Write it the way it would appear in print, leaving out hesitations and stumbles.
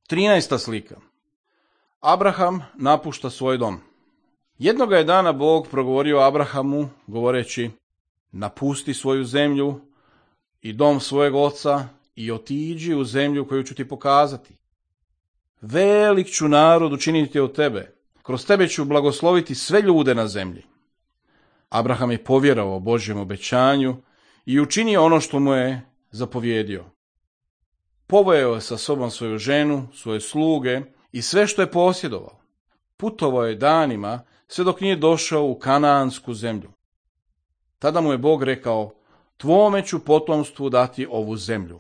13. slika. Abraham napušta svoj dom. Jednoga je dana Bog progovorio Abrahamu, govoreći: napusti svoju zemlju i dom svojeg oca i otiđi u zemlju koju ću ti pokazati. Velik ću narod učiniti od tebe, kroz tebe ću blagosloviti sve ljude na zemlji. Abraham je povjerovao Božjem obećanju i učinio ono što mu je zapovjedio. Poveo je sa sobom svoju ženu, svoje sluge i sve što je posjedovao. Putovao je danima sve dok nije došao u Kanaansku zemlju. Tada mu je Bog rekao: tvome ću potomstvu dati ovu zemlju.